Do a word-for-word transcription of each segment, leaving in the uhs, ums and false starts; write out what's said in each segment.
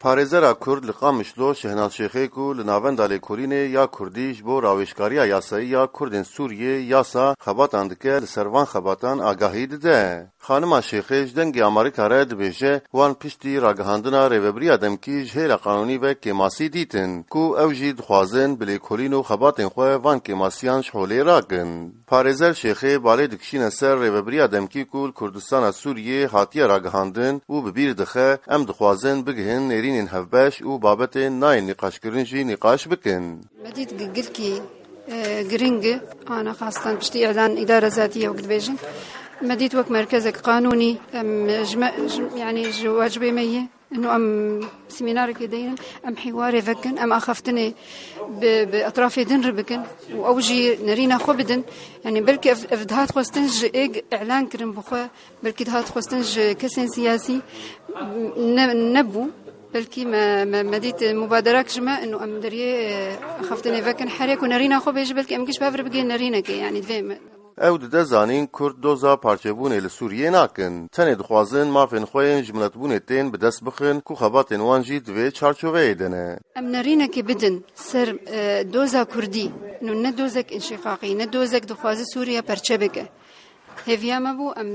Parêzera Kurd li Qamişlo Şehnaz Şêxê ku li navenda lêkolînê ya Kurdî ji bo rawêjkariya yasayî ya Kurdên Sûriyê, yasa, xebatan dike, li ser van xebatan agahî dide. Xanima Şêxê ji Dengê Amerîka re dibêje, wan piştî ragihandina rêvebiriya demkî ji hêla qanûnî ve kêmasî dîtin, ku ew jî dixwazin bi lêkolîn û xebatên xwe van kêmasiyan ji holê rakin. Parêzer Şêxê balê dikişîne ser rêvebiriya demkî ku li Kurdistana Sûriyê hatiye ragihandin û bi bîr dixe, em dixwazin bigihin nêrînên hevbeş û babetên nayên nîqaşkirin jî nîqaş bikin. Me dît gi-, gilkî, e, giring e, ana xastan piştî îlan îdare zatî ye wek dibêjin. Me dît wek merkezek qanûnî, em, ji me, ji, yanî ji wacibê me ye. Ino em semînarekê deynin, em hîwarê vekin, em axaftinê bi, bi etrafê din re bikin û ew jî nerîna xwe bidin. Yanî belkî ev, ev dihat xwestin ji êg îlan kirin bi xwe, belkî dihat xwestin ji kesên siyasî ne, nebû. Belkî me, me, me dît mubaderak ji me, ino em deriyê, e, axaftinê vekin, herê ku nerîna xwe bêje, belkî em giş bi hev re bigihên nerînekê, yanî divê me. Ew dide zanîn Kurd doza parçebûnê li Sûriyê nakin. Tenê dixwazin mafên xwe yên ji miletbûnê tên bi dest bixin ku xebatên wan jî di vê çarçoveyê de ne. Em nerînekê bidin ser, e, doza Kurdî. Nû ne dozek înşîqaqî, ne dozek dixwaze Sûriye perçe bike. Hêviya me bû, em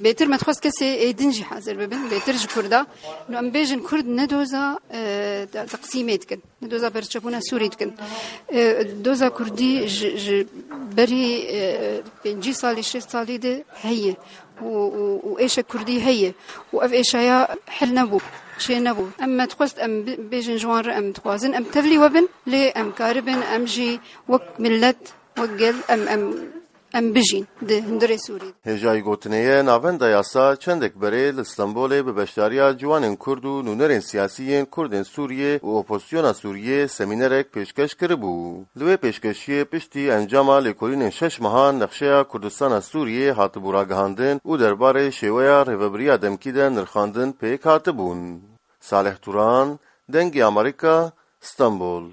bêtir me dixwest kesê ê din jî hazir bibin, bêtir ji Kurda. Nû em bêjin Kurd ne doza, e, te-, teqsîmê dikin. Doza perçebûna Sûrî dikin. E, doza Kurdî ji, ji berî, e, pêncî salî, şêst salî de heye û, û, û êşe Kurdî heye û ev êşaya hel nebû, çê nebû. Em me dixwest em bi-, bêjin ji wan re em dixwazin em tevlî we bin, lê em karibin em jî wek millet, wek gel em, em, em bijîn di hundirê Sûrî. Hêjayî gotinê ye, navenda yasa çendek berê li Stenbolê bi beşdariya ciwanên Kurd û nûnerên siyasî yên Kurdên Sûriyê û opozisyona Sûriyê semînerek pêşkeş kiribû. Li wê pêşkeşiyê piştî encama lêkolînên şeş mehan nexşeya Kurdistana Sûriyê hatibû ragihandin û derbarê şêweya rêvebiriya demkî de nirxandin pêk hatibûn. Salih Turan, Dengê Amerîka, Stenbol.